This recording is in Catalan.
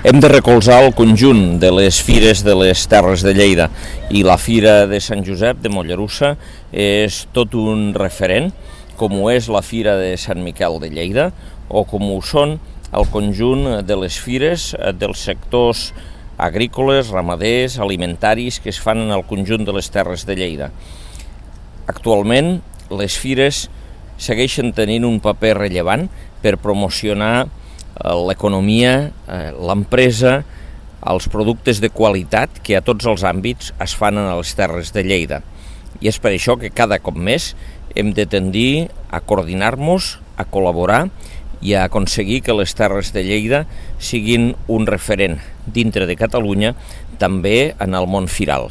Hem de recolzar el conjunt de les fires de les Terres de Lleida i la Fira de Sant Josep de Mollerussa és tot un referent, com ho és la Fira de Sant Miquel de Lleida o com ho són el conjunt de les fires dels sectors agrícoles, ramaders, alimentaris que es fan en el conjunt de les Terres de Lleida. Actualment, les fires segueixen tenint un paper rellevant per promocionar l'economia, l'empresa, els productes de qualitat que a tots els àmbits es fan a les Terres de Lleida. I és per això que cada cop més hem de tendir a coordinar-nos, a col·laborar i a aconseguir que les Terres de Lleida siguin un referent dintre de Catalunya, també en el món firal.